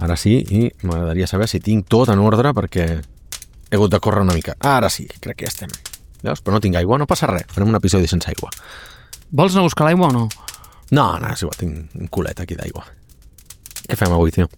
Ara sí, i m'agradaria saber si tinc tot en ordre perquè he hagut de córrer una mica. Ara sí, crec que ja estem. Veus? Però no tinc aigua, no passa res. Farem un episodi sense aigua. Vols anar a buscar l'aigua o no? No, és igual, tinc un culet aquí d'aigua. Què fem avui, tio?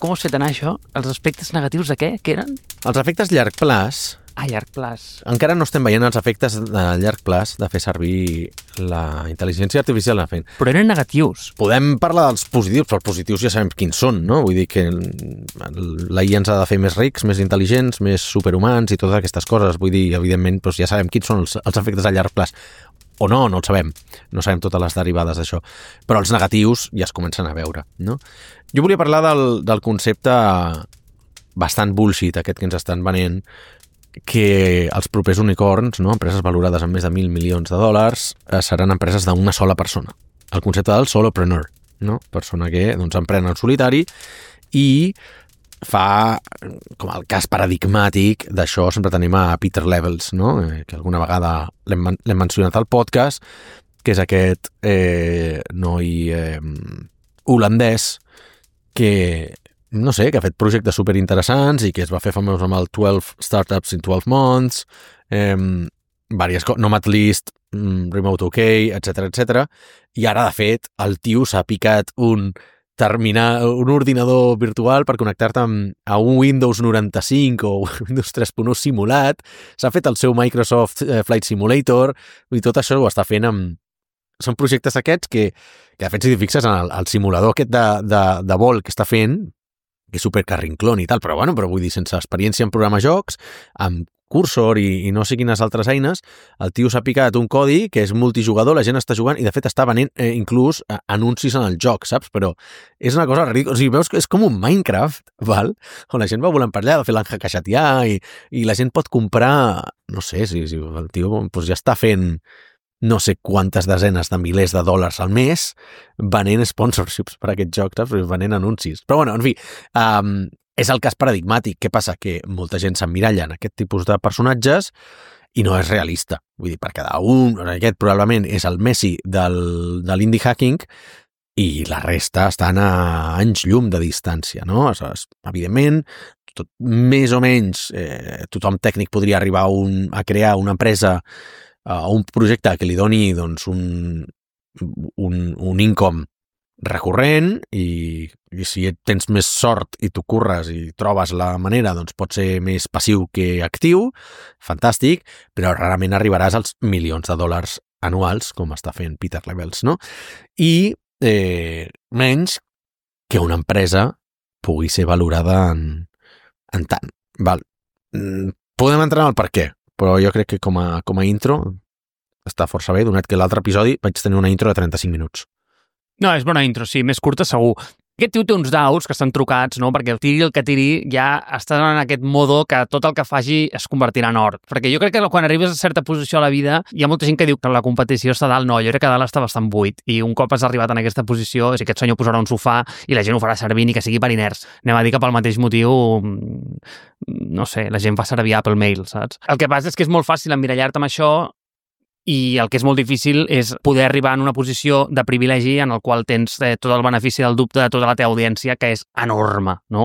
Com us fet anar això? Els aspectes negatius de què? Què eren? Els efectes llarg plaç. A llarg plaç. Encara no estem veient els efectes de llarg plaç de fer servir la intel·ligència artificial la fent. Però eren negatius. Podem parlar dels positius, però els positius ja sabem quins són, no? Vull dir que la IA ens ha de fer més rics, més intel·ligents, més superhumans i totes aquestes coses. Vull dir, evidentment, doncs ja sabem quins són els efectes a llarg plaç. O no el sabem. No sabem totes les derivades d'això. Però els negatius ja es comencen a veure, no? Jo volia parlar del concepte bastant bullshit aquest que ens estan venent, que els propers unicorns, no, empreses valorades en més de 1.000 milions de dòlars, seran empreses d'una sola persona. El concepte del solopreneur, no? Persona que doncs, emprèn en solitari i fa com el cas paradigmàtic d'això, sempre tenim a Peter Levels, no? Que alguna vegada l'hem mencionat al podcast, que és aquest noi holandès que no sé, que ha fet projectes superinteressants i que es va fer famós amb el 12 Startups in 12 Months, diverses coses, Nomadlist, Remote OK, etc. I ara, de fet, el tio s'ha picat un ordinador virtual per connectar-te a un Windows 95 o Windows 3.1 simulat, s'ha fet el seu Microsoft Flight Simulator, i tot això ho està fent amb... Són projectes aquests que de fet, si t'hi fixes en el simulador aquest de vol que està fent, que és supercarrinclón i tal, però vull dir, sense experiència en programar jocs, amb Cursor i no sé quines altres eines, el tio s'ha picat un codi que és multijugador, la gent està jugant i de fet està venent inclús anuncis en el joc, saps? Però és una cosa ridícula, o sigui, veus que és com un Minecraft, val? On la gent va volant per allà de fer l'enjacaixatià i la gent pot comprar, no sé, si el tio doncs ja està fent no sé quantes desenes de milers de dòlars al mes venent sponsorships per a aquests jocs, saps? Venent anuncis. Però en fi, és el cas paradigmàtic. Què passa? Que molta gent s'emmiralla en aquest tipus de personatges i no és realista. Vull dir, per cada un, aquest probablement és el Messi de l'indie hacking i la resta estan a anys llum de distància, no? Evidentment, més o menys, tothom tècnic podria arribar a crear una empresa un projecte que li doni doncs, un income recurrent i si tens més sort i t'ho curres i trobes la manera, doncs pot ser més passiu que actiu, fantàstic, però rarament arribaràs als milions de dòlars anuals, com està fent Peter Levels, no? I menys que una empresa pugui ser valorada en tant. Val. Podem entrar en el per què, però jo crec que com a intro està força bé, donat que l'altre episodi vaig tenir una intro de 35 minuts. No, és bona intro, sí, més curta segur. Aquest tio té uns daus que estan trucats, no? Perquè el tiri el que tiri ja està en aquest modo que tot el que faci es convertirà en or. Perquè jo crec que quan arribes a certa posició a la vida hi ha molta gent que diu que la competició està dalt. No, jo crec que dalt està bastant buit i un cop has arribat en aquesta posició, si aquest senyor posarà un sofà i la gent ho farà servir ni que sigui per inerts. Anem a dir que pel mateix motiu, no sé, la gent fa servir Apple Mail, saps? El que passa és que és molt fàcil emmirallar-te amb això i el que és molt difícil és poder arribar en una posició de privilegi en el qual tens tot el benefici del dubte de tota la teva audiència, que és enorme, no?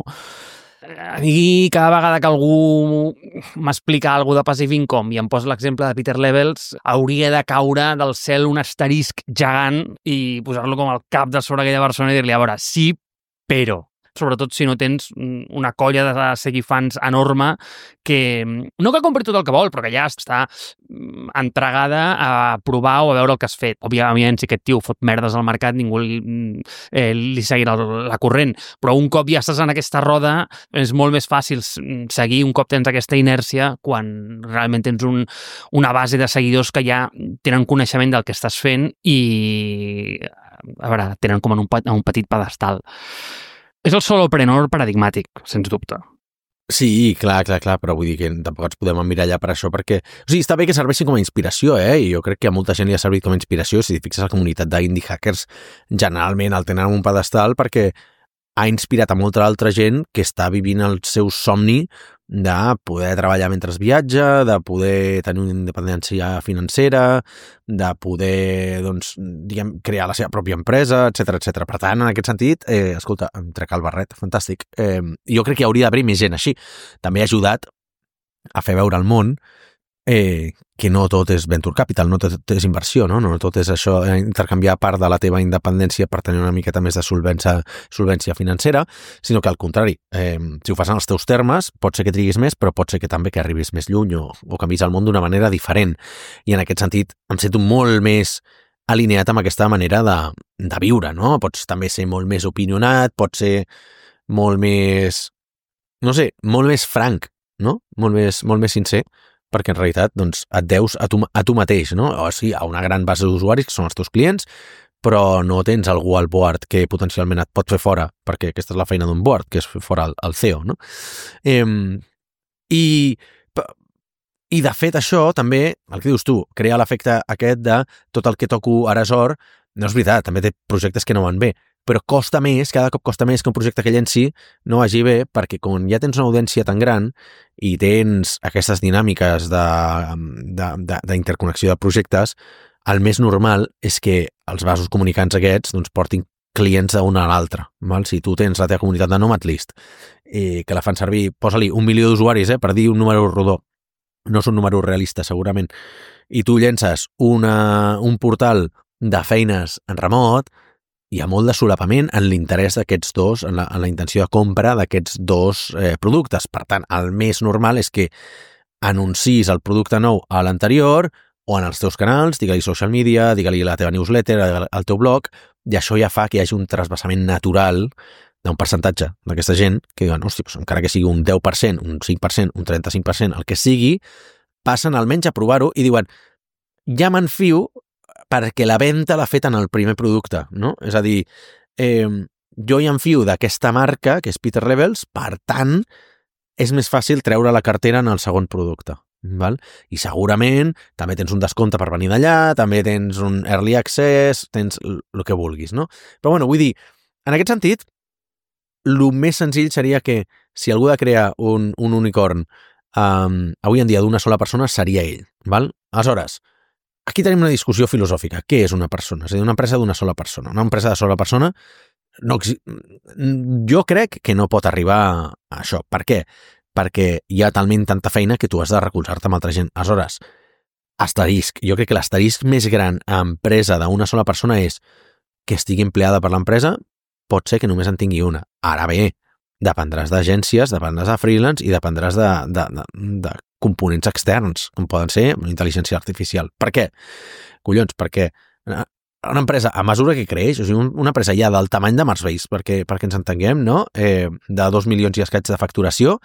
A mi, cada vegada que algú m'explica alguna de Passive Income i em posa l'exemple de Peter Levels, hauria de caure del cel un asterisc gegant i posar-lo com al cap de sobre aquella persona i dir-li, a veure, sí, però... sobretot si no tens una colla de seguifans enorme que no que compri tot el que vol, però que ja està entregada a provar o a veure el que has fet. Òbviament, si aquest tio fot merdes al mercat, ningú li seguirà la corrent, però un cop ja estàs en aquesta roda, és molt més fàcil seguir un cop tens aquesta inèrcia quan realment tens una base de seguidors que ja tenen coneixement del que estàs fent i, a veure, tenen com en un petit pedestal. És el solopreneur paradigmàtic, sens dubte. Sí, clar, però vull dir que tampoc ens podem emmirallar per això perquè... O sigui, està bé que serveixin com a inspiració, i jo crec que a molta gent li ha servit com a inspiració. Si t'hi fixes, la comunitat d'indie hackers generalment el tenen en un pedestal perquè ha inspirat a molta altra gent que està vivint el seu somni de poder treballar mentre viatja, de poder tenir una independència financera, de poder, doncs, diguem, crear la seva pròpia empresa, etc etc. Per tant, en aquest sentit, escolta, em trec el barret, fantàstic. Jo crec que hauria d'haver més gent així. També ha ajudat a fer veure al món que no tot és venture capital, no tot és inversió, no tot és això, intercanviar part de la teva independència per tenir una miqueta més de solvència financera, sinó que al contrari, si ho fas en els teus termes, pot ser que triguis més, però pot ser que també que arribis més lluny o canvis el món d'una manera diferent. I en aquest sentit em sento molt més alineat amb aquesta manera de viure, no? Pots també ser molt més opinionat, pots ser molt més, no sé, molt més franc, no? Molt més sincer, perquè en realitat doncs, et deus a tu mateix, no? O sí, a una gran base d'usuaris que són els teus clients, però no tens algú al board que potencialment et pot fer fora, perquè aquesta és la feina d'un board, que és fer fora el CEO, no? I de fet això també, el que dius tu, crea l'efecte aquest de tot el que toco ara és or, no és veritat, també té projectes que no van bé, però costa més, cada cop costa més que un projecte que llenci no vagi bé, perquè quan ja tens una audiència tan gran i tens aquestes dinàmiques d'interconnexió de projectes, el més normal és que els vasos comunicants aquests doncs, portin clients d'un a l'altre. Si tu tens la teva comunitat de Nomadlist que la fan servir, posa-li 1 milió d'usuaris per dir un número rodó, no és un número realista segurament, i tu llences un portal de feines en remot, hi ha molt de solapament en l'interès d'aquests dos, en la intenció de compra d'aquests dos productes. Per tant, el més normal és que anunciïs el producte nou a l'anterior o en els teus canals, digue-li social media, digue-li la teva newsletter, el teu blog, i això ja fa que hi hagi un trasbassament natural d'un percentatge d'aquesta gent que diuen, hosti, doncs encara que sigui un 10%, un 5%, un 35%, el que sigui, passen almenys a provar-ho i diuen, ja m'enfio perquè la venda l'ha fet en el primer producte, no? És a dir, jo hi enfio d'aquesta marca, que és Peter Levels, per tant, és més fàcil treure la cartera en el segon producte. Val? I segurament també tens un descompte per venir d'allà, també tens un early access, tens el que vulguis, no? Però bueno, vull dir, en aquest sentit, el més senzill seria que si algú ha de crear un unicorn avui en dia d'una sola persona, seria ell. Val? Aleshores, aquí tenim una discussió filosòfica. Què és una persona? És a dir, una empresa d'una sola persona. Una empresa de sola persona, jo crec que no pot arribar a això. Per què? Perquè hi ha talment tanta feina que tu has de recolzar-te amb altra gent. Aleshores, asterisc. Jo crec que l'asterisc més gran a empresa d'una sola persona és que estigui empleada per l'empresa, pot ser que només en tingui una. Ara bé, dependràs d'agències, dependràs de freelance i dependràs de components externs, com poden ser la intel·ligència artificial. Per què? Collons, perquè una empresa, a mesura que creix, o sigui, una empresa ja del tamany de Marsbase, perquè ens entenguem, no? De 2 milions i escaig de facturació,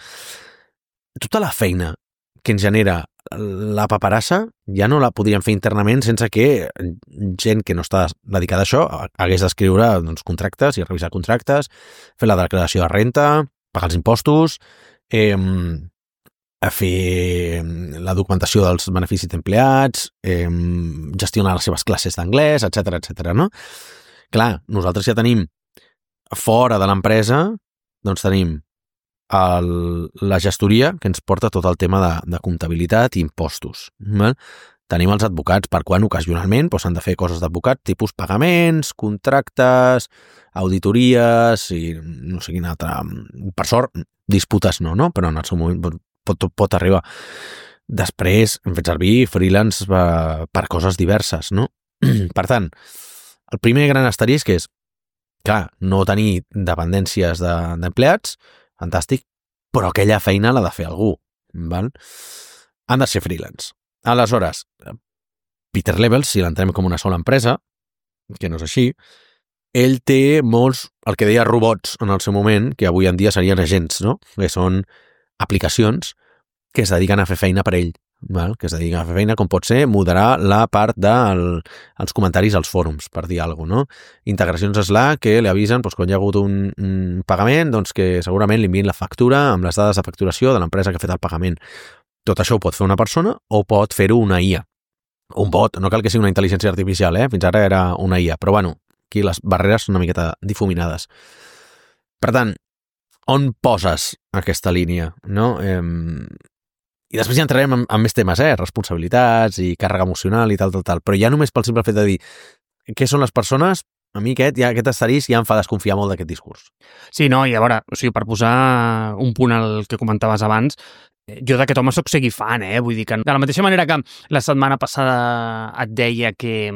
tota la feina que ens genera la paperassa ja no la podríem fer internament sense que gent que no està dedicada a això hagués d'escriure doncs, contractes i revisar contractes, fer la declaració de renta, pagar els impostos, a fer la documentació dels beneficis d'empleats, gestionar les seves classes d'anglès, etc, no? Clar, nosaltres ja tenim fora de l'empresa, doncs tenim la gestoria que ens porta tot el tema de comptabilitat i impostos. Tenim els advocats, per quan ocasionalment s'han de fer coses d'advocat, tipus pagaments, contractes, auditories i no sé quin altre. Per sort, disputes no? Però en el seu moment pot arribar. Després hem fet servir freelance per coses diverses, no? Per tant, el primer gran asterisc és, clar, no tenir dependències d'empleats, fantàstic, però aquella feina l'ha de fer algú, val? Han de ser freelance. Aleshores, Peter Levels, si l'entenem com una sola empresa, que no és així, ell té molts, el que deia robots en el seu moment, que avui en dia serien agents, no? Que són aplicacions que es dediquen a fer feina per ell, val? Que es dediquen a fer feina, com pot ser moderar la part dels comentaris als fòrums, per dir alguna cosa, no? Integracions Slack que li avisen quan hi ha hagut un pagament, doncs que segurament li envien la factura amb les dades de facturació de l'empresa que ha fet el pagament. Tot això ho pot fer una persona o pot fer-ho una IA. Un bot, no cal que sigui una intel·ligència artificial, fins ara era una IA, però bueno, aquí les barreres són una miqueta difuminades. Per tant, on poses aquesta línia, no? I després ja entrarem en més temes, responsabilitats i càrrega emocional i tal, però ja només pel simple fet de dir què són les persones, a mi aquest asterisc ja em fa desconfiar molt d'aquest discurs. Sí, no, i a veure, o sigui, per posar un punt al que comentaves abans, jo d'aquest home soc seguir fan, vull dir que de la mateixa manera que la setmana passada et deia que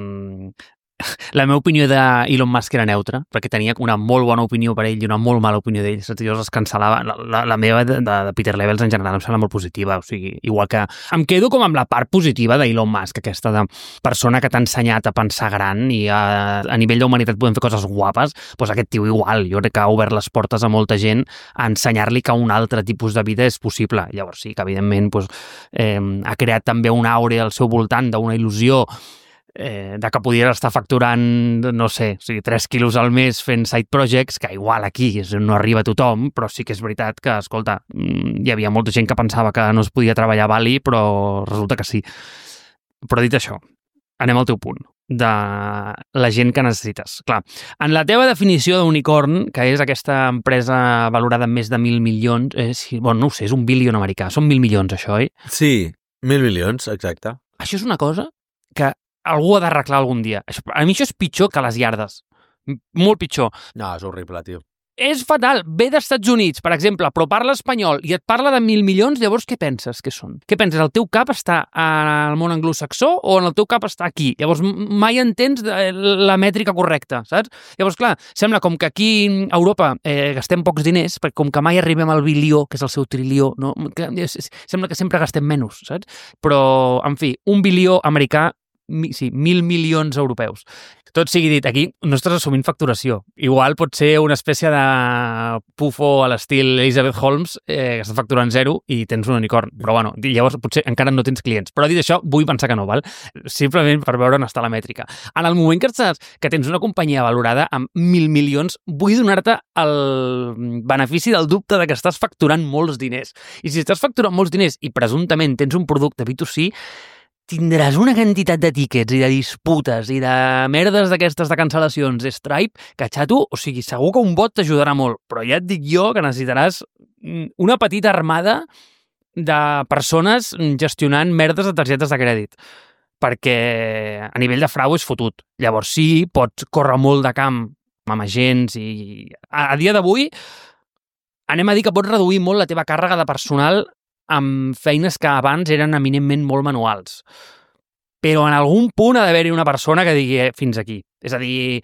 la meva opinió d'Elon Musk era neutra, perquè tenia una molt bona opinió per ell i una molt mala opinió d'ell. Jo es cancel·lava. La meva de Peter Levels en general em sembla molt positiva. O sigui, igual que em quedo com amb la part positiva d'Elon Musk, aquesta de persona que t'ha ensenyat a pensar gran i a nivell d'humanitat podem fer coses guapes, doncs aquest tio igual. Jo crec que ha obert les portes a molta gent a ensenyar-li que un altre tipus de vida és possible. Llavors sí que evidentment ha creat també una àurea al seu voltant d'una il·lusió de que podies estar facturant, no sé, 3 quilos al mes fent side projects, que igual aquí no arriba a tothom, però sí que és veritat que, escolta, hi havia molta gent que pensava que no es podia treballar a Bali, però resulta que sí. Però dit això, anem al teu punt, de la gent que necessites. Clar, en la teva definició d'unicorn, que és aquesta empresa valorada en més de 1.000 milions, no ho sé, és un bilion americà, són 1.000 milions, això, oi? Sí, 1.000 milions, exacte. Això és una cosa que algú ha d'arreglar algun dia. A mi això és pitjor que les iardes. Molt pitjor. No, és horrible, tio. És fatal. Ve d'Estats Units, per exemple, però parla espanyol i et parla de 1.000 milions, llavors què penses que són? Què penses? El teu cap està al món anglosaxó o en el teu cap està aquí? Llavors mai entens la mètrica correcta, saps? Llavors, clar, sembla com que aquí a Europa gastem pocs diners, perquè com que mai arribem al bilió, que és el seu trilió, no? Sembla que sempre gastem menys, saps? Però, en fi, 1 bilió americà, sí, 1.000 milions europeus. Tot sigui dit, aquí no estàs assumint facturació. Igual pot ser una espècie de pufo a l'estil Elizabeth Holmes, que està facturant 0 i tens un unicorn. Però bueno, llavors potser encara no tens clients. Però dit això, vull pensar que no, val? Simplement per veure on està la mètrica. En el moment que tens una companyia valorada amb 1.000 milions, vull donar-te el benefici del dubte de que estàs facturant molts diners. I si estàs facturant molts diners i presumptament tens un producte B2C, tindràs una quantitat de tickets i de disputes i de merdes d'aquestes de cancel·lacions de Stripe que, xato, o sigui, segur que un bot t'ajudarà molt, però ja et dic jo que necessitaràs una petita armada de persones gestionant merdes de targetes de crèdit, perquè a nivell de frau és fotut. Llavors sí, pots córrer molt de camp amb agents i a dia d'avui anem a dir que pots reduir molt la teva càrrega de personal amb feines que abans eren eminentment molt manuals. Però en algun punt ha d'haver-hi una persona que digui fins aquí. És a dir,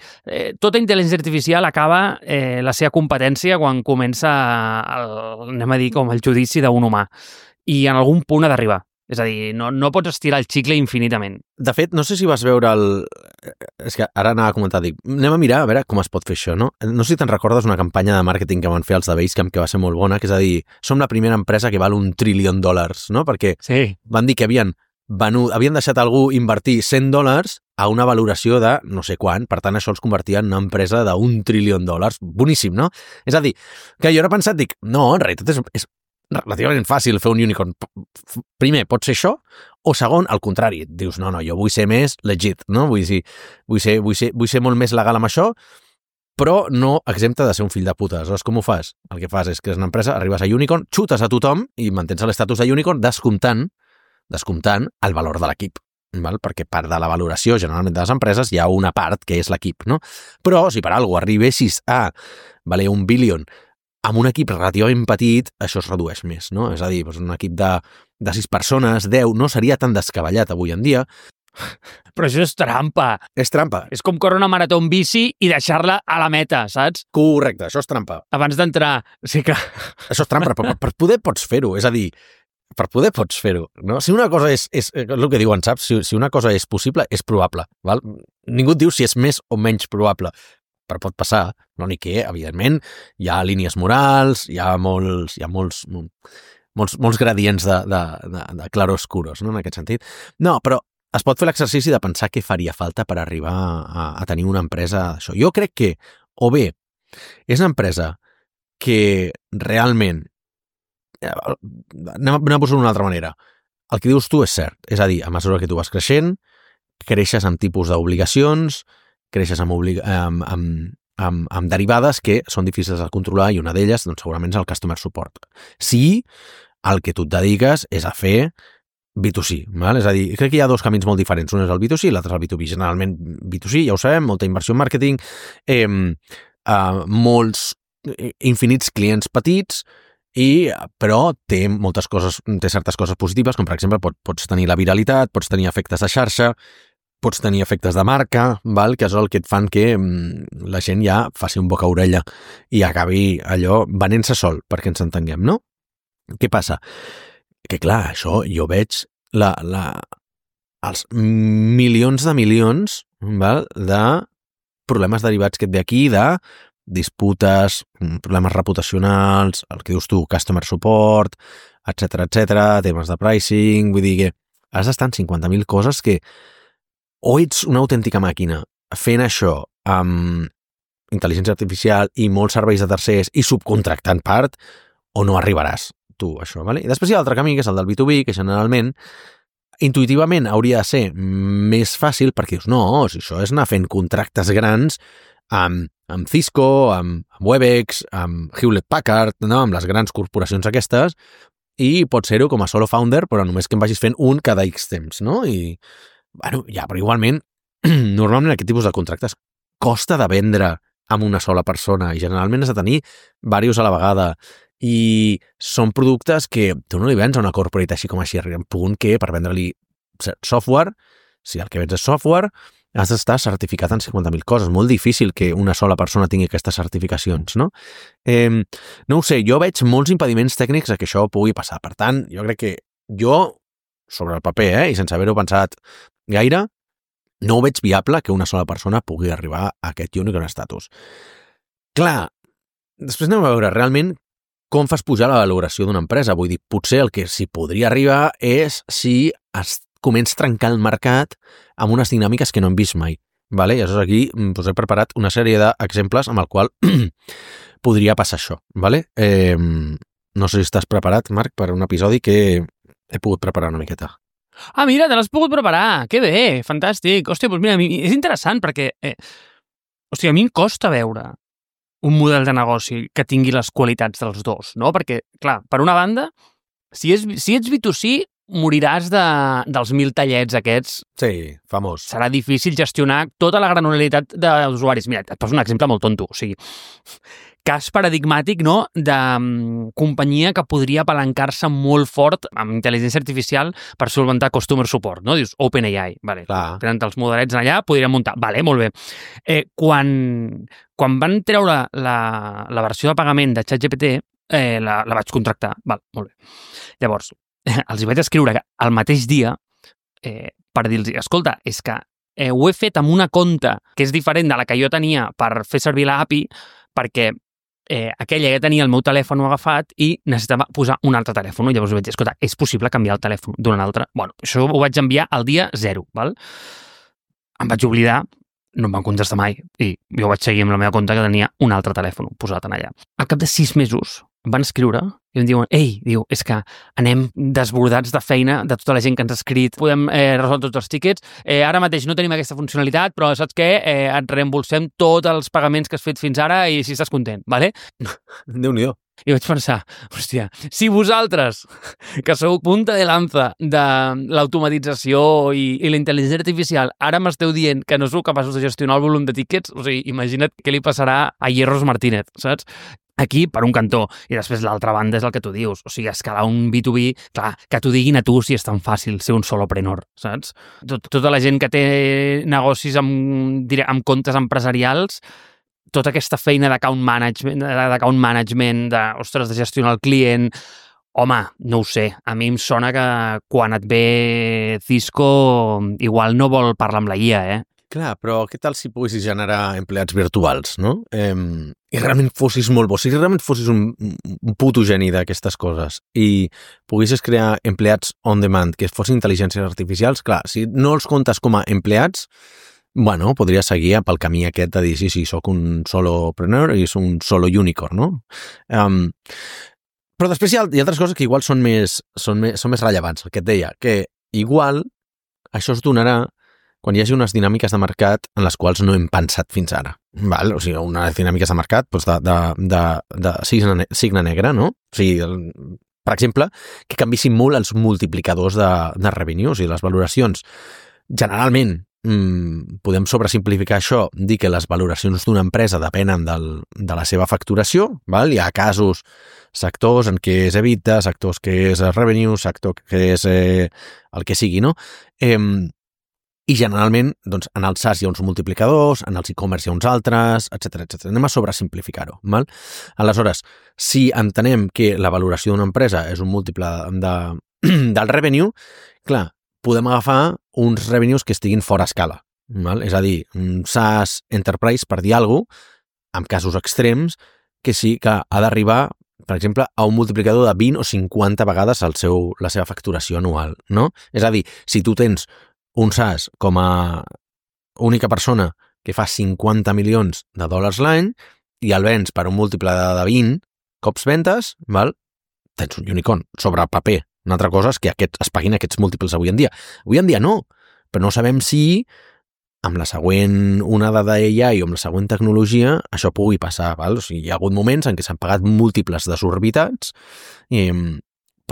tota intel·ligència artificial acaba la seva competència quan comença anem a dir, com el judici d'un humà. I en algun punt ha d'arribar. És a dir, no pots estirar el xicle infinitament. De fet, no sé si vas veure És que ara anava a comentar, dic, anem a mirar a veure com es pot fer això, no? No sé si te'n recordes una campanya de màrqueting que van fer els de Basecamp que va ser molt bona, que és a dir, som la primera empresa que val $1 trillió, no? Perquè sí. Van dir que havien deixat algú invertir $100 a una valoració de no sé quant, per tant això els convertia en una empresa d'1 trillió. Boníssim, no? És a dir, que jo ara he pensat, dic, no, en realitat és relativament fàcil fer un unicorn. Primer, pot ser això, o segon, al contrari, dius, no, jo vull ser més legit, no? Vull ser molt més legal amb això, però no exempta de ser un fill de puta. Aleshores, com ho fas? El que fas és que és una empresa, arribes a unicorn, xutes a tothom i mantens l'estatus de unicorn descomptant el valor de l'equip. Val? Perquè part de la valoració generalment de les empreses hi ha una part que és l'equip, no? Però si per alguna cosa arribessis a valer $1 bilió amb un equip relativament petit, això es redueix més, no? És a dir, un equip de 6 persones, 10, no seria tan descabellat avui en dia. Però això és trampa. És trampa. És com córrer una marató en bici i deixar-la a la meta, saps? Correcte, això és trampa. Abans d'entrar, sí que... Això és trampa, però per poder pots fer-ho, és a dir, per poder pots fer-ho, no? Si una cosa és el que diuen, saps? Si una cosa és possible, és probable, val? Ningú et diu si és més o menys probable, però pot passar, l'únic que, evidentment, hi ha línies morals, hi ha molts gradients de claroscuros, no?, en aquest sentit. No, però es pot fer l'exercici de pensar què faria falta per arribar a tenir una empresa d'això. Jo crec que, o bé, és una empresa que realment, anem a posar d'una altra manera, el que dius tu és cert, és a dir, a mesura que tu vas creixent, creixes amb tipus d'obligacions, creixes amb amb derivades que són difícils de controlar i una d'elles doncs, segurament és el customer support. Sí, el que tu et dediques és a fer B2C, val? És a dir, crec que hi ha dos camins molt diferents. Un és el B2C i l'altre és el B2B. Generalment B2C, ja ho sabem, molta inversió en màrqueting, molts infinits clients petits, però té moltes coses, té certes coses positives, com per exemple pots tenir la viralitat, pots tenir efectes de xarxa, pots tenir efectes de marca, val? Que és el que et fan que la gent ja faci un boca-orella i acabi allò venent-se sol, perquè ens entenguem, no? Què passa? Que clar, això jo veig els milions de milions, val? De problemes derivats que et ve aquí, de disputes, problemes reputacionals, el que dius tu, customer support, etc, temes de pricing, vull dir que has d'estar en 50.000 coses que o ets una autèntica màquina fent això amb intel·ligència artificial i molts serveis de tercers i subcontractant part, o no arribaràs tu, això, ¿vale? I després hi ha l'altre camí, que és el del B2B, que generalment, intuïtivament, hauria de ser més fàcil, perquè dius, no, si això és anar fent contractes grans amb Cisco, amb Webex, amb Hewlett-Packard, no? Amb les grans corporacions aquestes, i pot ser-ho com a solo founder, però només que em vagis fent un cada X temps, no? I bueno, ja, però igualment, normalment aquest tipus de contractes costa de vendre amb una sola persona i generalment has de tenir diversos a la vegada i són productes que tu no li vens a una corporate així com així, arriba un punt que per vendre-li software, si el que vens és software, has d'estar certificat en 50.000 coses. Molt difícil que una sola persona tingui aquestes certificacions, no? No ho sé, jo veig molts impediments tècnics a que això pugui passar. Per tant, jo crec que sobre el paper, i sense haver-ho pensat gaire, no ho veig viable que una sola persona pugui arribar a aquest unicorn status. Clar, després anem a veure realment com fas pujar la valoració d'una empresa. Vull dir, potser el que s'hi podria arribar és si es comença a trencar el mercat amb unes dinàmiques que no hem vist mai. Vale? I aleshores aquí us he preparat una sèrie d'exemples amb el qual podria passar això. Vale? No sé si estàs preparat, Marc, per un episodi que he pogut preparar una miqueta. Ah, mira, te l'has pogut preparar. Que bé, fantàstic. Hòstia, doncs mira, és interessant perquè a mi em costa veure un model de negoci que tingui les qualitats dels dos, no? Perquè, clar, per una banda, si ets B2C, moriràs dels 1.000 tallets aquests. Sí, famós. Serà difícil gestionar tota la granularitat d'usuaris. Mira, et poso un exemple molt tonto. O sigui, cas paradigmàtic, no?, de companyia que podria apalancar-se molt fort amb intel·ligència artificial per solventar customer support, no? Dius, OpenAI, vale. Tenen els modelets allà, podrien muntar. Vale, molt bé. Quan van treure la versió de pagament de ChatGPT, la vaig contractar. Val, molt bé. Llavors, els hi vaig escriure el mateix dia per dir-los, escolta, és que ho he fet amb una compta que és diferent de la que jo tenia per fer servir l'API, perquè aquella ja tenia el meu telèfon agafat i necessitava posar un altre telèfon. I llavors vaig dir, escolta, és possible canviar el telèfon d'un altre? Bueno, això ho vaig enviar el dia 0, val? Em vaig oblidar, no em van contestar mai, i jo vaig seguir amb la meva compte que tenia un altre telèfon posat en allà. Al cap de 6 mesos em van escriure i em diuen, és que anem desbordats de feina de tota la gent que ens ha escrit, podem resoldre tots els tíquets, ara mateix no tenim aquesta funcionalitat, però saps què? Et reembolsem tots els pagaments que has fet fins ara i si estàs content, vale? Déu-n'hi-do. I vaig pensar, hòstia, si vosaltres, que sou punta de lanza de l'automatització i la intel·ligència artificial, ara m'esteu dient que no sou capaços de gestionar el volum de tíquets, o sigui, imagina't què li passarà a Hierros Martínez, saps? Aquí, per un cantó, i després l'altra banda és el que tu dius, o sigui, escalar un B2B, clar, que t'ho diguin a tu si és tan fàcil ser un solopreneur, saps? Tota la gent que té negocis amb comptes empresarials, tota aquesta feina d'account management, de gestionar el client, home, no ho sé, a mi em sona que quan et ve Cisco igual no vol parlar amb la IA, Clar, però què tal si poguessis generar empleats virtuals, no? I realment fossis molt bo, si realment fossis un puto geni d'aquestes coses i poguessis crear empleats on demand que fossin intel·ligències artificials, clar, si no els comptes com a empleats, bueno, podria seguir pel camí aquest de dir, sí, soc un solopreneur i soc un solo unicorn, no? Però després hi ha altres coses que igual són més rellevants, el que et deia, que igual això es donarà quan hi hagi unes dinàmiques de mercat en les quals no hem pensat fins ara. Val? O sigui, unes dinàmiques de mercat doncs de signe negre, no? O sigui, per exemple, que canvissin molt els multiplicadors de revenues i les valoracions. Generalment, podem sobresimplificar això, dir que les valoracions d'una empresa depenen de la seva facturació, val? Hi ha casos, sectors en què és EBITDA, sectors que és revenue, sector que és el que sigui, no? I generalment, doncs, en el SaaS hi ha uns multiplicadors, en els e-commerce hi ha uns altres, etc. Anem a sobresimplificar-ho, val? Aleshores, si entenem que la valoració d'una empresa és un múltiple del revenue, clar, podem agafar uns revenues que estiguin fora escala, val? És a dir, un SaaS Enterprise, per dir alguna cosa, en casos extrems, que sí que ha d'arribar, per exemple, a un multiplicador de 20 o 50 vegades la seva facturació anual, no? És a dir, si tu tens un SaaS com a única persona que fa 50 milions de dòlars l'any i el vens per un múltiple de 20 cops ventes, val? Tens un unicorn sobre paper. Una altra cosa és que es paguin aquests múltiples avui en dia. Avui en dia no, però no sabem si amb la següent onada d'AI o amb la següent tecnologia això pugui passar. Val? O sigui, hi ha hagut moments en què s'han pagat múltiples desorbitats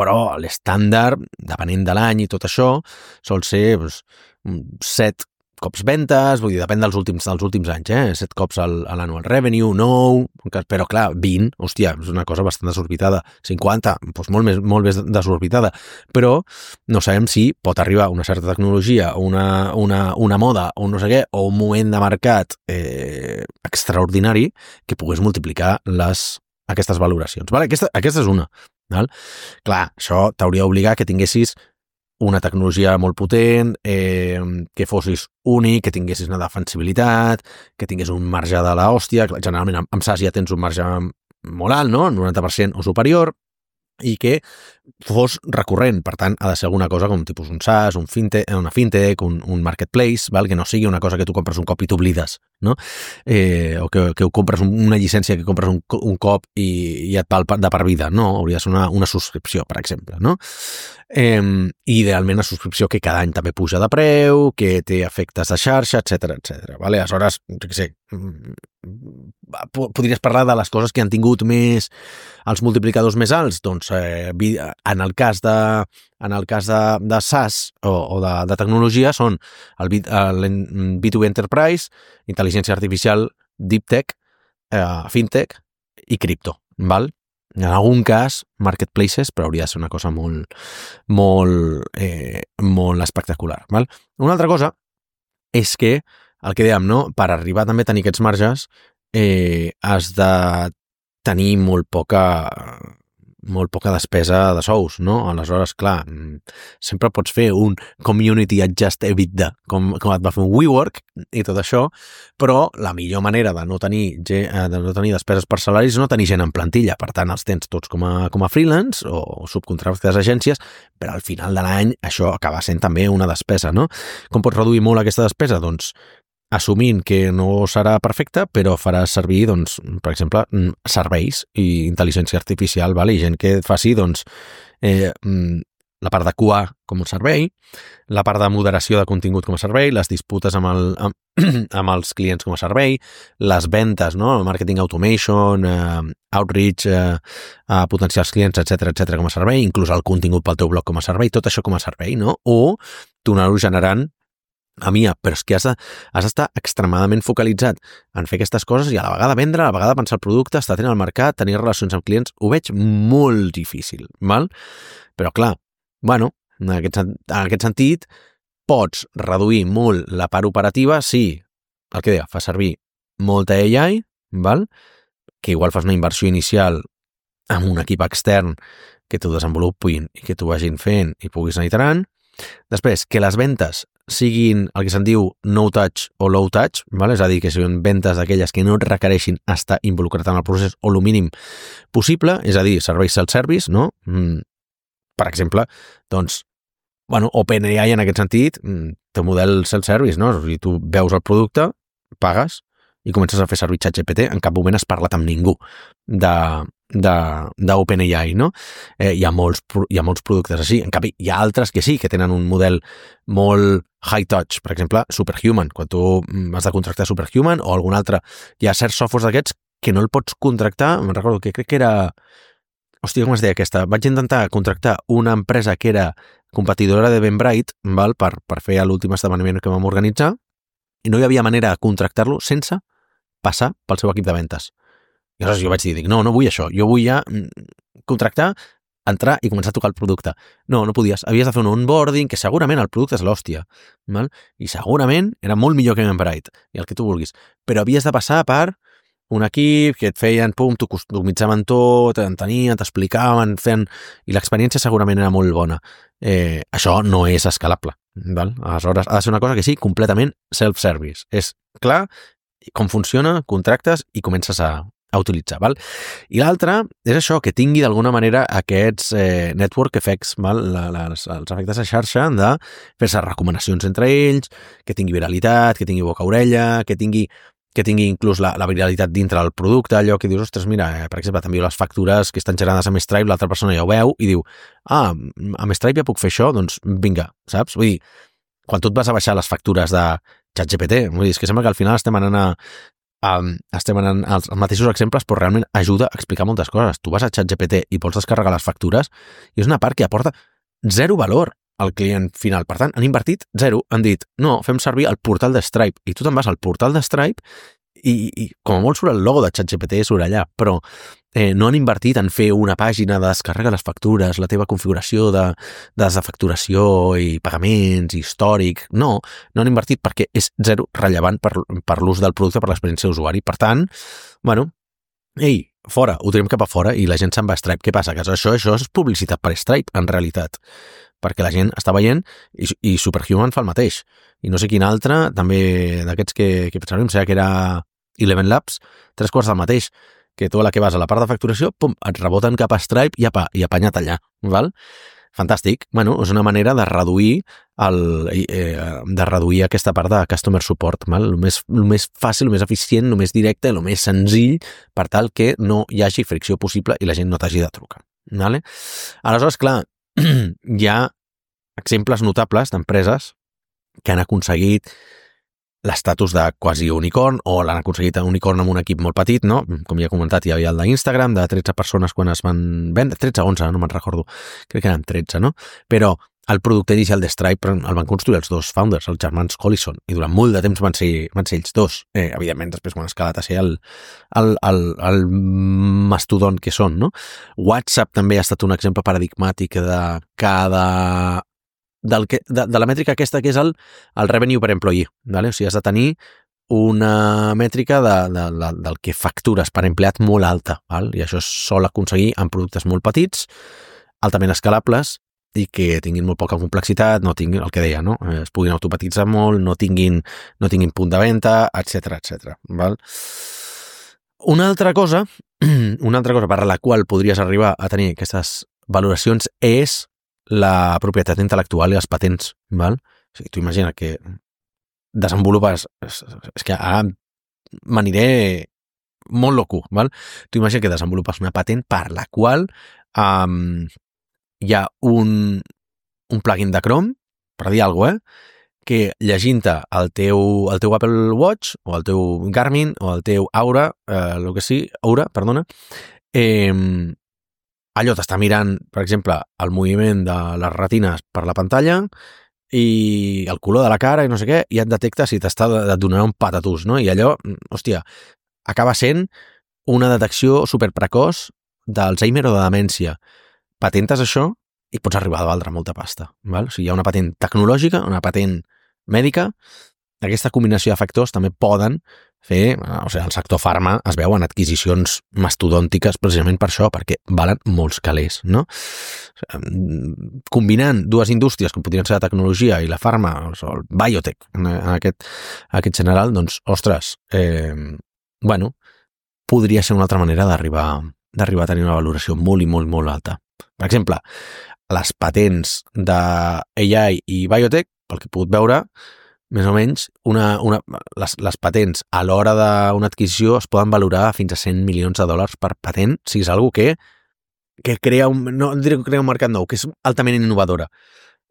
però l'estàndard, depenent de l'any i tot això, sol ser 7 cops ventes, vull dir, depèn dels últims anys, 7 cops a l'annual revenue, 9, però clar, 20, hòstia, és una cosa bastant desorbitada, 50, doncs molt més desorbitada, però no sabem si pot arribar una certa tecnologia, una moda, o no sé què, o un moment de mercat extraordinari que pogués multiplicar aquestes valoracions. Vale? Aquesta és una. Val? Clar, això t'hauria d'obligar que tinguessis una tecnologia molt potent, que fossis únic, que tinguessis una defensibilitat, que tingués un marge de l'hòstia. Generalment amb SaaS ja tens un marge molt alt, no? 90% o superior, i que fos recurrent. Per tant, ha de ser alguna cosa com tipus un SaaS, una fintech, un marketplace, val? Que no sigui una cosa que tu compres un cop i t'oblides, no? O que compres una llicència que compres un cop i et val de per vida. No, hauria de ser una subscripció, per exemple, no? I idealment una subscripció que cada any també puja de preu, que té efectes de xarxa, etc. Vale? Aleshores, jo què sé, podries parlar de les coses que han tingut més els multiplicadors més alts, doncs en el cas de SaaS o de tecnologia són el B2B Enterprise, intel·ligència artificial, deep tech, fintech i cripto, val? En algun cas, marketplaces, però hauria de ser una cosa molt espectacular, val? Una altra cosa és que, el que dèiem, no? Per arribar també a tenir aquests marges, has de tenir molt poca despesa de sous, no? Aleshores, clar, sempre pots fer un community adjust EBITDA, com et va fer un WeWork i tot això, però la millor manera de no tenir despeses per salaris és no tenir gent en plantilla. Per tant, els tens tots com a freelance o subcontractes agències, però al final de l'any això acaba sent també una despesa, no? Com pots reduir molt aquesta despesa? Doncs assumint que no serà perfecta, però farà servir, doncs, per exemple, serveis i intel·ligència artificial, vale? I gent que faci, doncs, la part de QA com un servei, la part de moderació de contingut com a servei, les disputes amb els clients com a servei, les ventes, no? El marketing automation, outreach a potencials clients, etc com a servei, inclús el contingut pel teu blog com a servei, tot això com a servei, no? O tornar-ho generant a MIA, però és que has d'estar extremadament focalitzat en fer aquestes coses i a la vegada vendre, a la vegada pensar el producte, estar atent al mercat, tenir relacions amb clients, ho veig molt difícil, val? Però clar, bueno, en aquest sentit, pots reduir molt la part operativa si, el que deia, fa servir molta AI, val? Que igual fas una inversió inicial amb un equip extern que t'ho desenvolupin i que t'ho vagin fent i puguis anar iterant. Després, que les ventes siguin el que se'n diu no touch o low touch, val? És a dir, que siguin ventes d'aquelles que no requereixin estar involucrat en el procés o el mínim possible, és a dir, serveis self-service, no? Per exemple, doncs, OpenAI en aquest sentit té un model self-service, no? O sigui, tu veus el producte, pagues i comences a fer servir ChatGPT, en cap moment has parlat amb ningú d'OpenAI, no? Hi ha molts productes així. En canvi, hi ha altres que sí, que tenen un model molt high touch, per exemple, Superhuman. Quan tu has de contractar Superhuman o algun altre, hi ha certs softwares d'aquests que no el pots contractar, me'n recordo que crec que era... Hòstia, com es deia aquesta? Vaig intentar contractar una empresa que era competidora de Eventbrite, val? Per fer l'últim esdeveniment que vam organitzar, i no hi havia manera de contractar-lo sense passar pel seu equip de ventes. I aleshores jo vaig dir, no vull això, jo vull ja contractar, entrar i començar a tocar el producte. No podies, havies de fer un onboarding, que segurament el producte és l'hòstia, val? I segurament era molt millor que Eventbrite, i el que tu vulguis, però havies de passar per un equip que et feien, t'ho customitzaven tot, t'entenien, t'explicaven, i l'experiència segurament era molt bona. Això no és escalable, val? Aleshores ha de ser una cosa que sí, completament self-service. És clar com funciona, contractes i comences a utilitzar, val? I l'altre és això, que tingui d'alguna manera aquests network effects, val? Els efectes de xarxa de fer-se recomanacions entre ells, que tingui viralitat, que tingui boca-orella, que tingui inclús la viralitat dintre del producte, allò que dius, ostres, mira, per exemple, t'envio les factures que estan generades amb Stripe, l'altra persona ja ho veu i diu, amb Stripe ja puc fer això? Doncs vinga, saps? Vull dir, quan tu et vas a baixar les factures de ChatGPT, vull dir, és que sembla que al final estem anant als mateixos exemples, però realment ajuda a explicar moltes coses. Tu vas a ChatGPT i vols descarregar les factures i és una part que aporta zero valor al client final. Per tant, han invertit zero, han dit, no, fem servir el portal de Stripe. I tu te'n vas al portal de Stripe i com a molt surt el logo de ChatGPT surt allà, però no han invertit en fer una pàgina de descarrega les factures, la teva configuració de facturació i pagaments, històric. No han invertit perquè és zero rellevant per l'ús del producte, per l'experiència d'usuari. Per tant, fora, ho tirem cap a fora i la gent se'n va a Stripe. Què passa? Que això és publicitat per Stripe, en realitat, perquè la gent està veient i Superhuman fa el mateix. I no sé quin altre, també d'aquests que pensàvem, em sembla que era Eleven Labs, 3/4 del mateix, que tu a la que vas a la part de facturació, pum, et reboten cap a Stripe i apanyat allà, val? Fantàstic. És una manera de reduir aquesta part de customer support, val? El més fàcil, el més eficient, el més directe, el més senzill, per tal que no hi hagi fricció possible i la gent no t'hagi de trucar. Vale? Aleshores, clar, hi ha exemples notables d'empreses que han aconseguit l'estatus de quasi unicorn o l'han aconseguit un unicorn amb un equip molt petit, no? Com ja he comentat, hi havia el d'Instagram, de 13 persones quan es van vendre, 13 o 11, no me'n recordo, crec que eren 13, no? Però el producte inicial de Stripe el van construir els dos founders, els germans Collison, i durant molt de temps van ser ells dos. Evidentment, després quan ha escalat a ser el mastodont que són, no? WhatsApp també ha estat un exemple paradigmàtic de la mètrica aquesta que és el revenue per employee, vale? O sigui, has de tenir una mètrica del que factures per empleat molt alta, val? I això es sol aconseguir amb productes molt petits, altament escalables i que tinguin molt poca complexitat, no tinguin el que deia, no? Es puguin automatitzar molt, no tinguin punt de venda, etc. Val? Una altra cosa per la qual podries arribar a tenir aquestes valoracions és la propietat intel·lectual i les patents, val? O sigui, tu imagina que desenvolupes... És que ara m'aniré molt loco, val? Tu imagina que desenvolupes una patent per la qual hi ha un plugin de Chrome, per dir alguna cosa, que llegint-te el teu Apple Watch o el teu Garmin o el teu Aura, allò t'està mirant, per exemple, el moviment de les retines per la pantalla i el color de la cara i no sé què, i et detecta si et donarà un patatús, no? I allò, hòstia, acaba sent una detecció superprecoç d'Alzheimer o de demència. Patentes això i pots arribar a valdre molta pasta, val? O sigui, hi ha una patent tecnològica, una patent mèdica. Aquesta combinació de factors també poden fer... O sigui, el sector farma es veu en adquisicions mastodòntiques precisament per això, perquè valen molts calés, no? Combinant dues indústries com podrien ser la tecnologia i la farma, o el biotech en aquest general, doncs, ostres, podria ser una altra manera d'arribar a tenir una valoració molt i molt, molt alta. Per exemple, les patents d'AI i biotech, pel que he pogut veure, més o menys, les patents a l'hora d'una adquisició es poden valorar fins a $100 milions per patent, si és algo que crea no diré que crea un mercat nou, que és altament innovadora.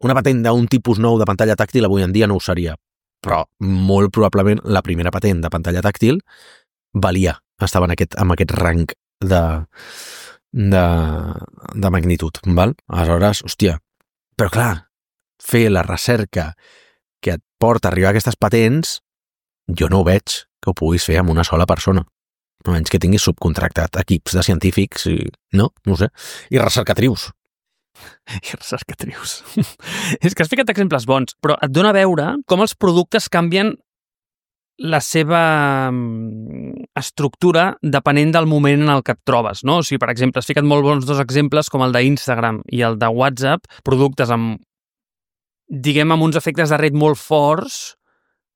una patent d'un tipus nou de pantalla tàctil avui en dia no ho seria, però molt probablement la primera patent de pantalla tàctil estava amb aquest rang de magnitud, val? Aleshores, hòstia, però clar, fer la recerca que et porta a arribar a aquestes patents, jo no ho veig que ho puguis fer amb una sola persona, almenys que tinguis subcontractat equips de científics i, no ho sé, i recercatrius. I recercatrius. És que has ficat exemples bons, però et dona a veure com els productes canvien la seva estructura depenent del moment en el que et trobes, no? O sigui, per exemple, has ficat molt bons dos exemples com el d'Instagram i el de WhatsApp, productes amb, diguem, amb uns efectes de red molt forts,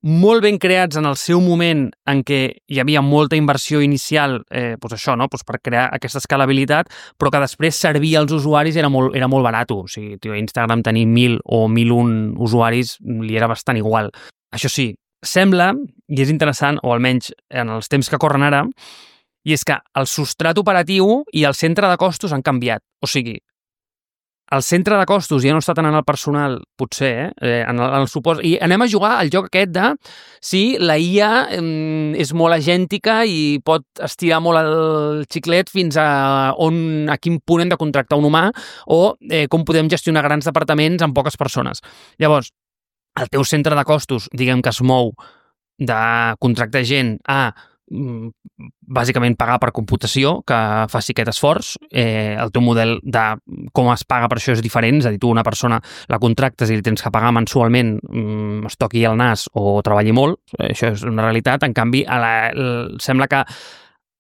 molt ben creats en el seu moment en què hi havia molta inversió inicial, doncs això, no? Doncs per crear aquesta escalabilitat, però que després servir als usuaris era molt barat. O sigui, Instagram tenir 1.000 o 1.001 usuaris li era bastant igual. Això sí, sembla, i és interessant, o almenys en els temps que corren ara, i és que el substrat operatiu i el centre de costos han canviat. O sigui, el centre de costos ja no està tant en el personal, potser, en el supòs... I anem a jugar al joc aquest de si la IA és molt agèntica i pot estirar molt el xiclet fins a quin punt hem de contractar un humà o com podem gestionar grans departaments amb poques persones. Llavors, el teu centre de costos, diguem que es mou de contractar gent a bàsicament pagar per computació, que faci aquest esforç. El teu model de com es paga per això és diferent, és a dir, tu una persona la contractes i li tens que pagar mensualment, es toqui el nas o treballi molt, això és una realitat. En canvi, sembla que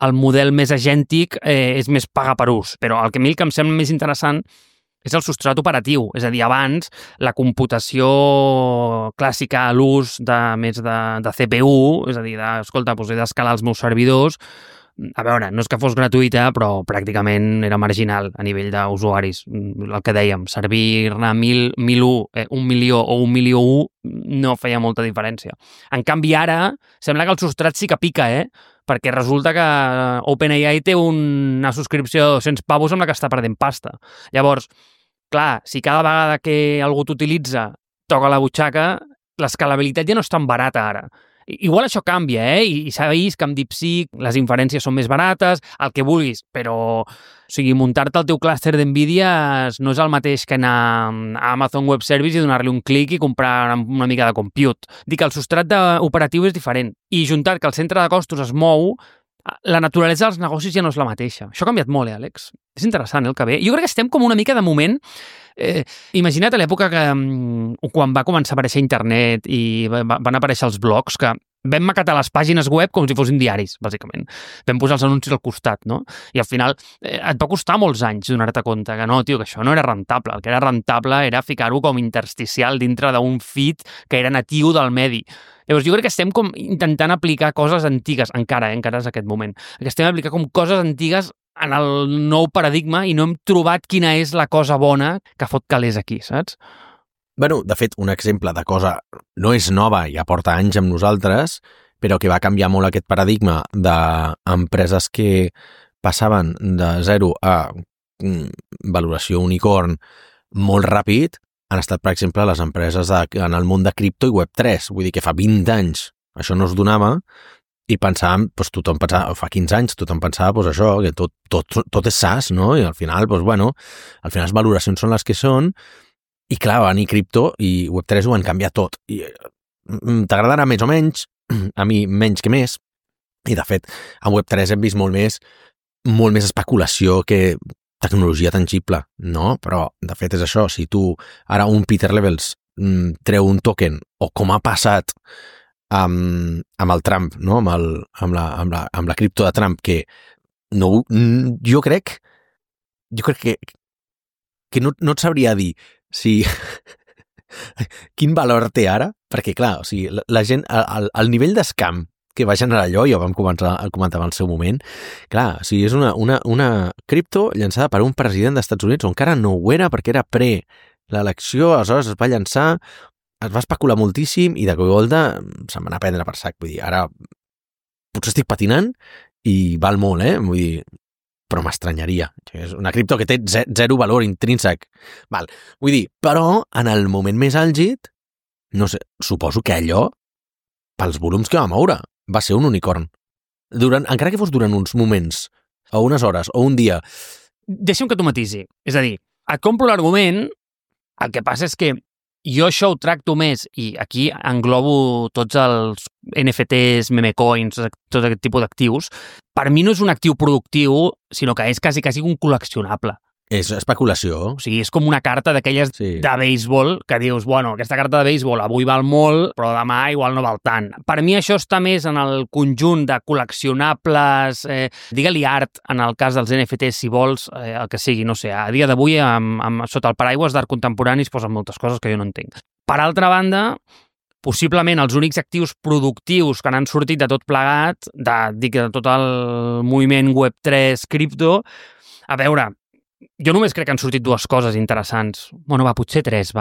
el model més agèntic és més pagar per ús, però el que a mi em sembla més interessant és el substrat operatiu, és a dir, abans la computació clàssica a l'ús més de CPU, és a dir, escolta, he d'escalar els meus servidors, a veure, no és que fos gratuïta, però pràcticament era marginal a nivell d'usuaris. El que dèiem, servir-ne 1.001, 1 milió o 1 milió 1 no feia molta diferència. En canvi, ara sembla que el substrat sí que pica, perquè resulta que OpenAI té una subscripció de 200 pavos amb la que està perdent pasta. Llavors, clar, si cada vegada que algú t'utilitza toca la butxaca, l'escalabilitat ja no és tan barata ara. Igual això canvia, i s'ha vist que amb DeepSeek les inferències són més barates, el que vulguis, però o sigui, muntar-te el teu clúster d'NVIDIA no és el mateix que anar a Amazon Web Service i donar-li un clic i comprar una mica de compute. Dic que el substrat operatiu és diferent. I juntat que el centre de costos es mou, la naturalesa dels negocis ja no és la mateixa. Això ha canviat molt, Àlex. És interessant el que ve. Jo crec que estem com una mica de moment... Imagina't a l'època que quan va començar a aparèixer internet i van aparèixer els blogs, que vam maquetar les pàgines web com si fossin diaris, bàsicament. Vam posar els anuncis al costat, no? I al final et va costar molts anys donar-te compte que no, tio, que això no era rentable. El que era rentable era ficar-ho com intersticial dintre d'un feed que era natiu del medi. Llavors, jo crec que estem com intentant aplicar coses antigues, encara és aquest moment, que estem aplicant com coses antigues en el nou paradigma i no hem trobat quina és la cosa bona que fot calés aquí, saps? Bueno, de fet, un exemple de cosa no és nova, ja porta anys amb nosaltres, però que va canviar molt aquest paradigma d'empreses que passaven de 0 a valoració unicorn molt ràpid, han estat, per exemple, les empreses en el món de cripto i Web3. Vull dir que fa 20 anys això no es donava i pensàvem, doncs tothom pensava, fa 15 anys tothom pensava, doncs això, que tot és SaaS, no? I al final, doncs bueno, al final les valoracions són les que són i clar, va venir cripto i Web3 ho han canviat tot. I t'agradarà més o menys, a mi menys que més, i de fet, en Web3 hem vist molt més especulació que tecnologia tangible, no? Però, de fet, és això. Si tu, ara un Peter Levels treu un token, o com ha passat amb el Trump, no? amb la cripto de Trump, que no, jo crec que no et sabria dir si quin valor té ara, perquè clar, o sigui, la gent, el nivell d'escam que va generar allò, ja ho vam comentar al seu moment, clar, o sigui, és una cripto llançada per un president dels Estats Units, on encara no ho era, perquè era l'elecció, aleshores es va llançar, es va especular moltíssim i de cop se'n va anar a prendre per sac. Vull dir, ara potser estic patinant i val molt, vull dir, però m'estranyaria. És una cripto que té zero valor intrínsec. Val. Vull dir, però en el moment més àlgid, no sé, suposo que allò, pels volums que va moure, va ser un unicorn. Encara que fos durant uns moments, o unes hores, o un dia. Deixa'm que t'ho matisi. És a dir, et compro l'argument, el que passa és que jo això ho tracto més, i aquí englobo tots els NFTs, memecoins, tot aquest tipus d'actius. Per mi no és un actiu productiu, sinó que és quasi un col·leccionable. És especulació. O sigui, és com una carta d'aquelles Sí. de béisbol que dius, bueno, aquesta carta de béisbol avui val molt, però demà igual no val tant. Per mi això està més en el conjunt de col·leccionables, digue-li art, en el cas dels NFTs, si vols, el que sigui, no sé, a dia d'avui, sota el paraigües d'art contemporani es posen moltes coses que jo no entenc. Per altra banda, possiblement els únics actius productius que n'han sortit de tot plegat, de tot el moviment Web3, cripto, a veure, jo només crec que han sortit dues coses interessants. Bueno, potser tres,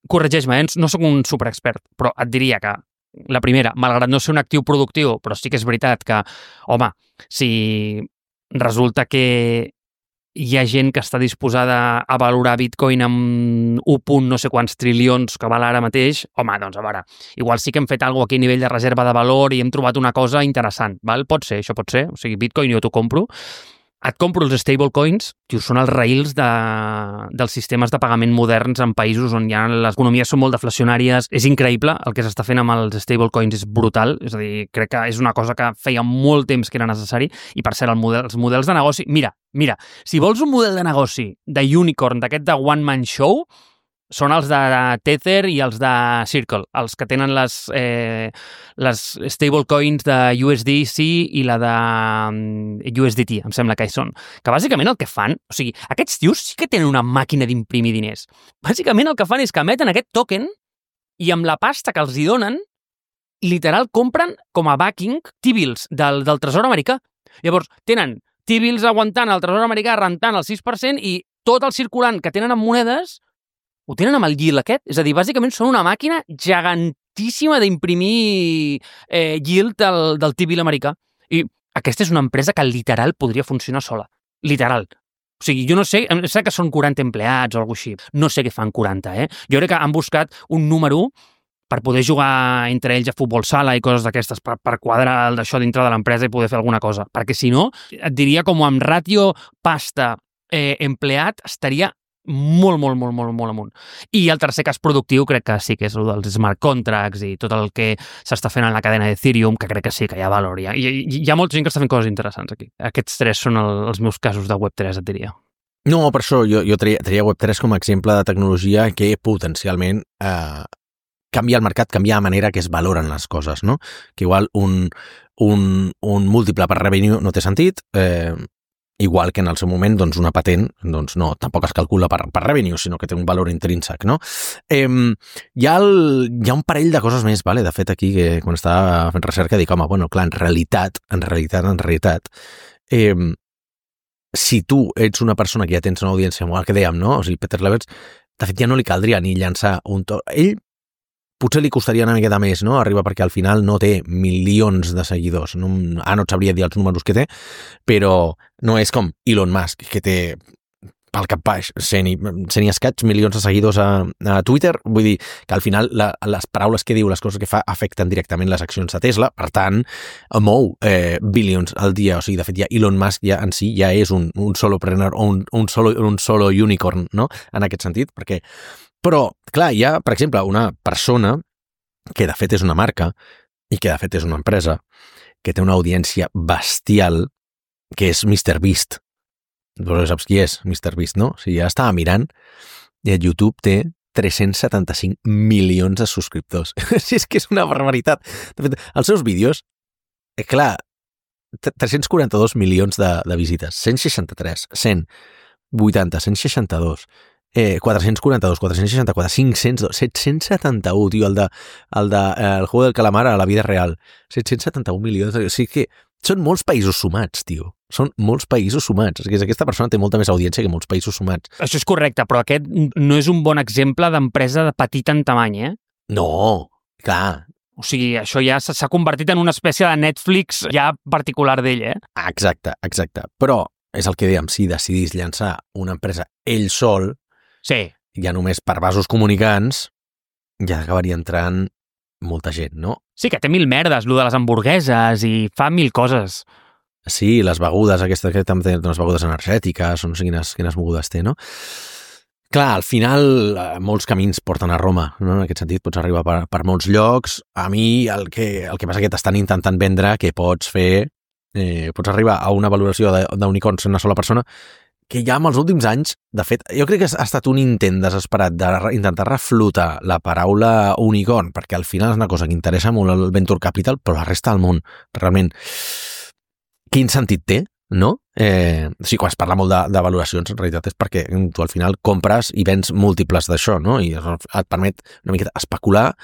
Corregeix-me, no sóc un superexpert, però et diria que la primera, malgrat no ser un actiu productiu, però sí que és veritat que, home, si resulta que hi ha gent que està disposada a valorar Bitcoin amb 1 no sé quants trilions que val ara mateix, home, doncs a veure, igual sí que hem fet alguna cosa aquí a nivell de reserva de valor i hem trobat una cosa interessant, val? Pot ser, això pot ser, o sigui, Bitcoin jo t'ho compro. Et compro els stablecoins, que són els raïls dels sistemes de pagament moderns en països on ja les economies són molt deflacionàries. És increïble el que s'està fent amb els stablecoins, és brutal. És a dir, crec que és una cosa que feia molt temps que era necessari. I per cert, els models de negoci... Mira, si vols un model de negoci de unicorn, d'aquest de one man show, són els de Tether i els de Circle, els que tenen les stablecoins de USDC i la de USDT, em sembla que hi són. Que bàsicament el que fan, o sigui, aquests tios sí que tenen una màquina d'imprimir diners. Bàsicament el que fan és que emeten aquest token i amb la pasta que els hi donen, literal compren com a backing T-bills del tresor americà. Llavors, tenen T-bills aguantant el tresor americà rentant el 6% i tot el circulant que tenen en monedes ho tenen amb el yield aquest. És a dir, bàsicament són una màquina gegantíssima d'imprimir yield del T-bill americà. I aquesta és una empresa que literal podria funcionar sola. Literal. O sigui, jo no sé, em sembla que són 40 empleats o alguna cosa així. No sé què fan 40, Jo crec que han buscat un número per poder jugar entre ells a futbol sala i coses d'aquestes, per quadrar d'això dintre de l'empresa i poder fer alguna cosa. Perquè si no, et diria com amb ràtio pasta empleat estaria molt amunt. I el tercer cas productiu crec que sí que és el dels smart contracts i tot el que s'està fent en la cadena d'Ethereum, que crec que sí que hi ha valor. Hi ha molta gent que està fent coses interessants aquí. Aquests tres són els meus casos de Web3, et diria. No, per això jo tria Web3 com a exemple de tecnologia que potencialment canvia el mercat, canvia la manera que es valoren les coses, no? Que igual un múltiple per revenue no té sentit, igual que en el seu moment doncs una patent doncs no, tampoc es calcula per revenue, sinó que té un valor intrínsec, no? Hi ha un parell de coses més, vale? De fet aquí, que quan estava fent recerca dic, home, bueno, clar, en realitat, si tu ets una persona que ja tens una audiència, el que dèiem, no? O sigui, Peter Levels, de fet ja no li caldria ni llançar un to... Ell potser li costaria una miqueta més, no? Arriba perquè al final no té milions de seguidors. No et sabria dir els números que té, però no és com Elon Musk, que té pel cap baix 100 i escaig milions de seguidors a Twitter. Vull dir que al final les paraules que diu, les coses que fa, afecten directament les accions de Tesla. Per tant, mou billions al dia. O sigui, de fet, ja Elon Musk ja en si ja és un solopreneur o un solo unicorn, no? En aquest sentit, perquè... Però, clar, hi ha, per exemple, una persona que de fet és una marca i que de fet és una empresa que té una audiència bestial, que és MrBeast. Vosaltres saps qui és MrBeast, no? O sigui, ja estava mirant i a YouTube té 375 milions de subscriptors. Si és que és una barbaritat. De fet, els seus vídeos, clar, 342 milions de visites, 163, 180, 162... 442, 464, 500, 771, tio, el Juego del Calamar a la vida real. 771 milions. O sigui que són molts països sumats, tio. Són molts països sumats. És que aquesta persona té molta més audiència que molts països sumats. Això és correcte, però aquest no és un bon exemple d'empresa de petita en tamany, No, clar. O sigui, això ja s'ha convertit en una espècie de Netflix ja particular d'ell, Exacte. Però és el que dèiem, si decidís llançar una empresa ell sol, Sí. ja només per vasos comunicants, ja acabaria entrant molta gent, no? Sí, que té mil merdes, lo de les hamburgueses, i fa mil coses. Sí, les begudes, aquestes que també tenen unes begudes energètiques, o no sé quines begudes té, no? Clar, al final molts camins porten a Roma, no? En aquest sentit pots arribar per molts llocs. A mi el que passa que t'estan intentant vendre que pots fer, pots arribar a una valoració d'unicorns en una sola persona, que ja en els últims anys, de fet, jo crec que ha estat un intent desesperat d'intentar reflotar la paraula unicorn, perquè al final és una cosa que interessa molt al venture capital, però la resta del món, realment, quin sentit té? No? Sí, quan es parla molt de valoracions, en realitat és perquè tu al final compres i vens múltiples d'això, no? I et permet una miqueta especular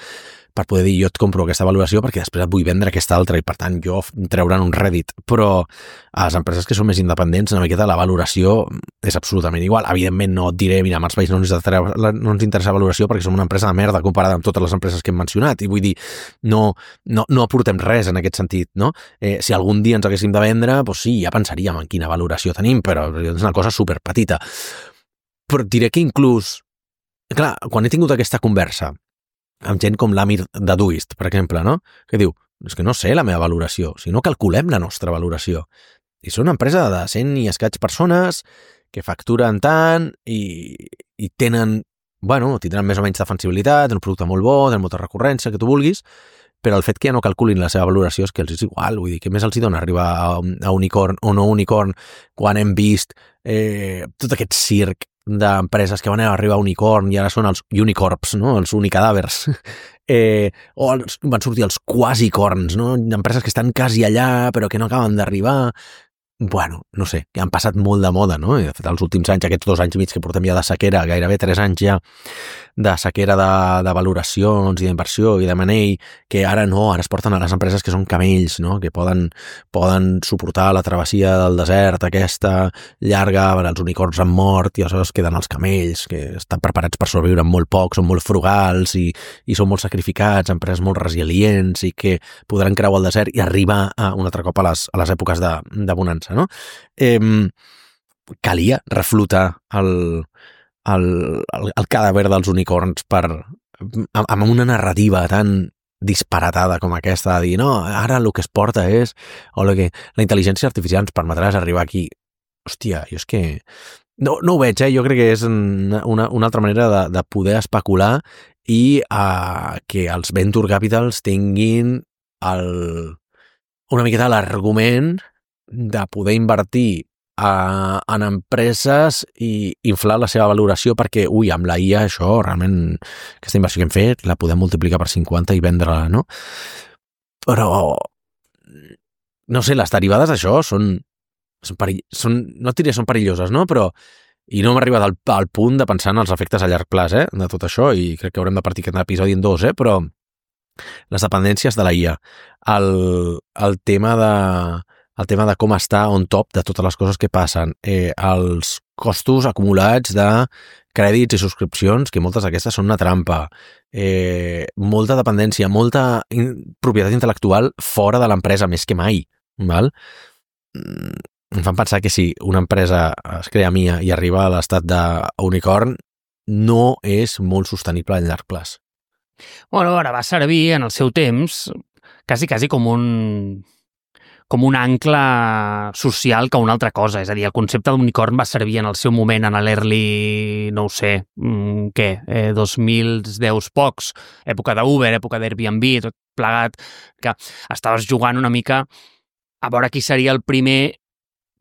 per poder dir jo et compro aquesta valoració perquè després et vull vendre aquesta altra i per tant jo treure'n un rèdit. Però a les empreses que són més independents una miqueta la valoració és absolutament igual. Evidentment no et diré, mira, als països no ens interessa valoració perquè som una empresa de merda comparada amb totes les empreses que hem mencionat i vull dir, no aportem res en aquest sentit, no? Si algun dia ens haguéssim de vendre, doncs sí, ja pensaríem en quina valoració tenim, però és una cosa superpetita. Però diré que inclús, clar, quan he tingut aquesta conversa amb gent com l'Amir de Doist, per exemple, no? Que diu, és que no sé la meva valoració, si no calculem la nostra valoració. I són una empresa de 100 i escaig persones que facturen tant i tenen, bueno, tindran més o menys defensibilitat, un producte molt bo, tenen molta recurrència, que tu vulguis, però el fet que ja no calculin la seva valoració és que els és igual, vull dir, que més els hi dona arribar a unicorn o no unicorn quan hem vist tot aquest circ d'empreses que van arribar a unicorn i ara són els unicorps, no? Els unicadàvers. O van sortir els quasicorns, no? Empreses que estan quasi allà però que no acaben d'arribar. Bueno, no sé, que han passat molt de moda, no? I de fet, els últims anys, aquests 2 anys i mig que portem ja de sequera, gairebé 3 anys ja de sequera de valoracions i d'inversió i de manell, que ara no, ara es porten a les empreses que són camells, no? Que poden suportar la travessia del desert aquesta llarga, els unicorns han mort i aleshores queden els camells, que estan preparats per sobreviure amb molt poc, són molt frugals i són molt sacrificats, empreses molt resilients i que podran creuar el desert i arribar un altre cop a les èpoques de bonança. No? Calia reflotar el cadàver dels unicorns amb una narrativa tan disparatada com aquesta, de dir, no, ara el que es porta és, o la intel·ligència artificial ens permetrà arribar aquí. Hòstia, jo és que no ho veig, jo crec que és una altra manera de poder especular i que els venture capitals tinguin una miqueta l'argument de poder invertir en empreses i inflar la seva valoració perquè, amb la IA això, realment, aquesta inversió que hem fet, la podem multiplicar per 50 i vendre-la, no? Però, no sé, les derivades d'això són no et diré són perilloses, no? Però, i no hem arribat al punt de pensar en els efectes a llarg plaç, de tot això, i crec que haurem de partir aquest episodi en 2, però les dependències de la IA, el tema de com està on top de totes les coses que passen, els costos acumulats de crèdits i subscripcions, que moltes d'aquestes són una trampa, molta dependència, molta propietat intel·lectual fora de l'empresa, més que mai, val? Em fan pensar que si una empresa es crea mia i arriba a l'estat d'unicorn, no és molt sostenible a llarg plaç. Bueno, ara va servir en el seu temps quasi com un ancle social que una altra cosa. És a dir, el concepte d'unicorn va servir en el seu moment en l'early, no ho sé, 2010 pocs, època d'Uber, època d'Airbnb, tot plegat, que estaves jugant una mica a veure qui seria el primer.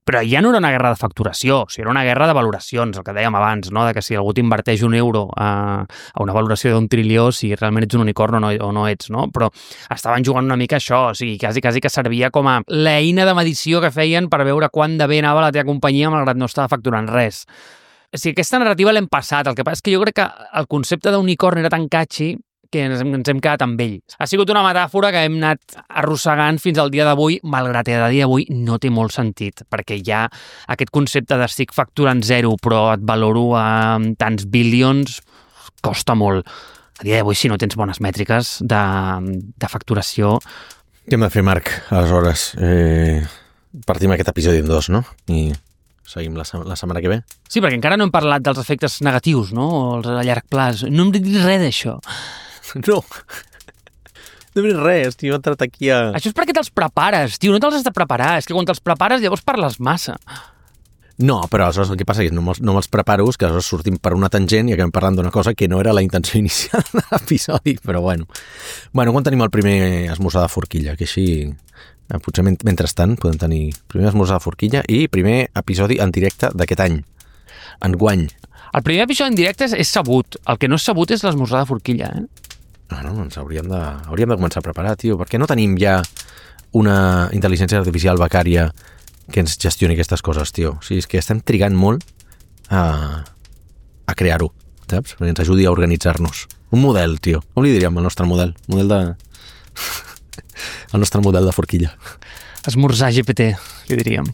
Però ja no era una guerra de facturació, o sigui, era una guerra de valoracions, el que dèiem abans, no? De que si algú t'inverteix €1 a una valoració d'1 trilió, si realment ets un unicorn o no ets, no? Però estaven jugant una mica això, o sigui, quasi que servia com a l'eina de medició que feien per veure quant de bé anava la teva companyia malgrat no estava facturant res. O sigui, aquesta narrativa l'hem passat, el que passa és que jo crec que el concepte d'unicorn era tan catchy que ens hem quedat amb ell. Ha sigut una metàfora que hem anat arrossegant fins al dia d'avui, malgrat que a dia d'avui no té molt sentit, perquè ja aquest concepte de estic facturant 0 però et valoro a tants bilions costa molt. A dia d'avui, si no tens bones mètriques de facturació... Què hem de fer, Marc, aleshores? Partim aquest episodi en 2, no? I seguim la setmana que ve. Sí, perquè encara no hem parlat dels efectes negatius, no? O els a llarg plaç. No hem dit res d'això. No. No hem dit res, tio, he entrat aquí a... Això és perquè te'ls prepares, tio, no te'ls has de preparar. És que quan te'ls prepares llavors parles massa. No, però aleshores el que passa és que no me'ls preparo, és que aleshores sortim per una tangent i acabem parlant d'una cosa que no era la intenció inicial de l'episodi, però bueno. Bueno, quan tenim el primer esmorzar de forquilla, que així, potser mentrestant podem tenir primer esmorzar de forquilla i primer episodi en directe d'aquest any, enguany. El primer episodi en directe és sabut. El que no és sabut és l'esmorzar de forquilla, No, ens hauríem de començar a preparar, tio, perquè no tenim ja una intel·ligència artificial becària que ens gestioni aquestes coses, tio. O sigui, és que estem trigant molt a crear-ho, saps? Perquè ens ajudi a organitzar-nos. Un model, tio. Com li diríem el nostre model? El nostre model de forquilla. Esmorzar GPT, li diríem.